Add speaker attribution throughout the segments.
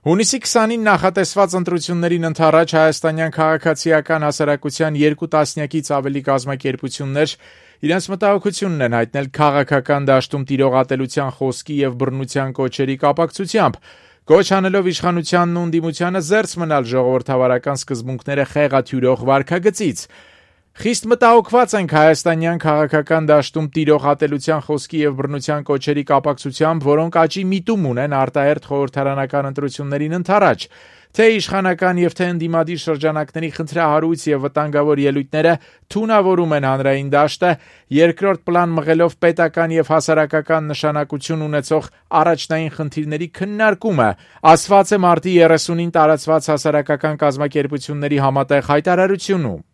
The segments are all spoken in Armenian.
Speaker 1: Հունիսի 20-ին նախատեսված ընտրություններին ընդառաջ հայաստանյան քաղաքացիական հասարակության 2 տասնյակից ավելի կազմակերպություններ իրենց մտահոգությունն են հայտնել քաղաքական դաշտում տիրող ատելության խոսքի եւ բռնության կոչերի կապակցությամբ, կոչ անելով իշխանությանն ու ընդդիմությանը զերծ մնալ ժողովրդավարական սկզբունքները խեղաթյուրող վարքագծից։ Խիստ մտահոգված ենք հայաստանյան քաղաքական դաշտում տիրող ատելության խոսքի եւ բռնության կոչերի կապակցությամբ, որոնք աճի միտում ունեն արտահերթ խորհրդարանական ընտրություններին ընդառաջ, թե իշխանական եւ թե ընդդիմադիր շրջանակների խնդրահարույց եւ վտանգավոր ելույթները թունավորում են հանրային դաշտը, երկրորդ պլան մղելով պետական եւ հասարակական նշանակություն ունեցող առաջնային խնդիրների քննարկումը, ասված է մարտի 30-ին տարածված հասարակական կազմակերպությունների համատեղ հայտարարությունում։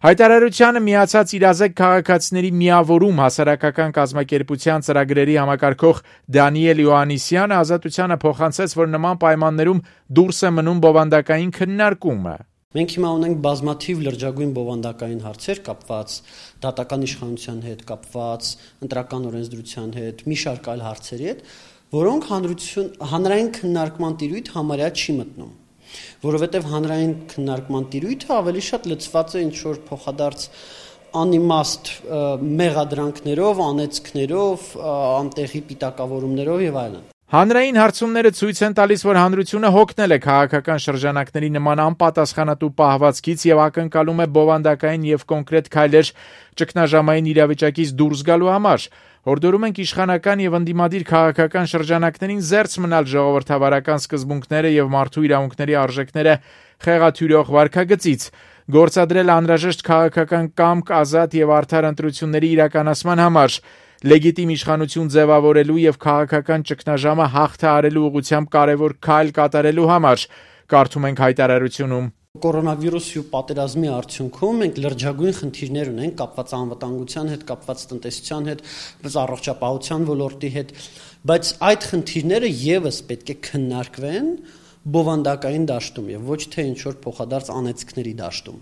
Speaker 1: Հայտարարությանը միացած իրազեկ քաղաքացիների միավորում հասարակական կազմակերպության ծրագրերի համակարգող Դանիել Յոհաննիսյանը Ազատությանը փոխանցեց, որ նման պայմաններում դուրս է մնում բովանդակային քննարկումը։
Speaker 2: Մենք հիմա ունենք բազմաթիվ լրջագույն բովանդակային հարցեր կապված դատական իշխանության հետ, կապված ընտրական օրենսդրության հետ, մի շարք այլ հարցերի հետ, որոնք հանրային քննարկման տիրույթ համարյա չի մտնում, որովհետև հանրային քննարկման տիրույթը ավելի շատ լցված է ինչ-որ փոխադարձ անիմաստ մեղադրանքներով, անեծքներով, անտեղի պիտակավորումներով եւ այլն։
Speaker 1: Հանրային հարցումները ցույց են տալիս, որ հանրությունը հոգնել է քաղաքական շրջանակների նման անպատասխանատու պահվածքից եւ ակնկալում է բովանդակային եւ կոնկրետ քայլեր ճգնաժամային իրավիճակից դուրս գալու համար։ Հորդորում ենք իշխանական եւ ընդդիմադիր քաղաքական շրջանակներին զերծ մնալ ժողովրդավարական սկզբունքները եւ մարդու իրավունքների արժեքները խեղաթյուրող վարքագծից, գործադրել անհրաժեշտ քաղաքական կամք ազատ եւ արդար ընտրությունների իրականացման համար, լեգիտիմ իշխանություն ձևավորելու եւ քաղաքական ճգնաժամը հաղթահարելու ուղղությամբ կարևոր քայլ կատարելու համար, կարդում ենք հայտարարությունում։
Speaker 2: Կորոնավիրուսի ու պատերազմի արդյունքում մենք լրջագույն խնդիրներ ունենք կապված անվտանգության հետ, կապված տնտեսության հետ, առողջապահության ոլորտի հետ, բայց այդ խնդիրները եւս պետք է քննարկվեն բովանդակային դաշտում եւ ոչ թե ինչ-որ փոխադարձ անեծքների դաշտում,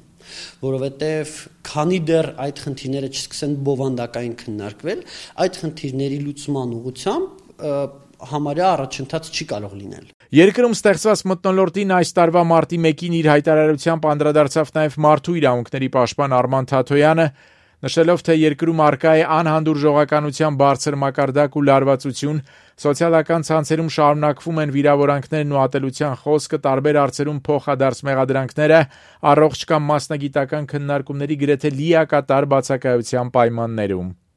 Speaker 2: որովհետեւ քանի դեռ այդ խնդիրները չսկսեն բովանդակային քննարկվել, այդ խնդիրների լուծման ուղղությամբ համարյա առաջընթաց չի կարող լինել։
Speaker 1: Երկրում ստեղծված մթնոլորտին այս տարվա մարտի 1-ին իր հայտարարությամբ անդրադարձավ նաև մարդու իրավունքների պաշտպան Արման Թաթոյանը, նշելով, թե երկրում առկա է անհանդուրժողականության բարձր մակարդակ ու լարվածություն, սոցիալական ցանցերում շարունակվում են վիրավորանքներն ու ատելության խոսքը, տարբեր հարցերում փոխադարձ մեղադրանքները, առողջ կամ մասնագիտական քննարկումների գրեթե լիակատար բացակայության պայմաններում։